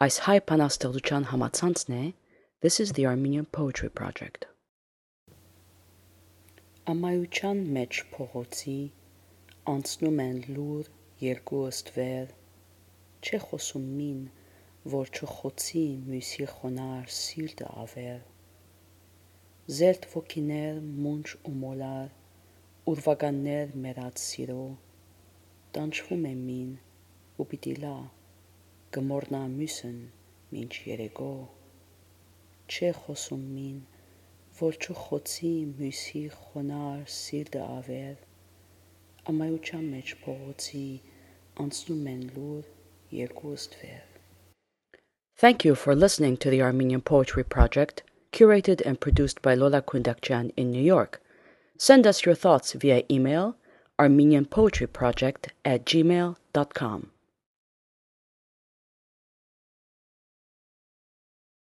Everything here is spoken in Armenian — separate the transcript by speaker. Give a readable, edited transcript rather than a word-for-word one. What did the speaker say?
Speaker 1: Այս հայ բանաստեղծության համացանցն է This is the Armenian Poetry Project. Ամայության մեջ փողոցի անցնում են լուր երկու ըստվեր, չէ խոսում մին, որ չխոցի մյուսի խոնար սիրտը ավեր, զերտ ոգիներ մունչ ու մոլար, ուրվականներ մերած սիրո, տանջվում է մին ու պիտի լա, գմորնա մյուսն մինչ երեկո, չէ խոսում մին, որ չխոցի մյուսի խոնար սիրտը ավեր, ամայության մեջ փողոցի անցնում են լուր երկու ըստվեր. Thank you for listening to the Armenian Poetry Project, curated and produced by Lola Kundakjian in New York. Send us your thoughts via email armenianpoetryproject@gmail.com.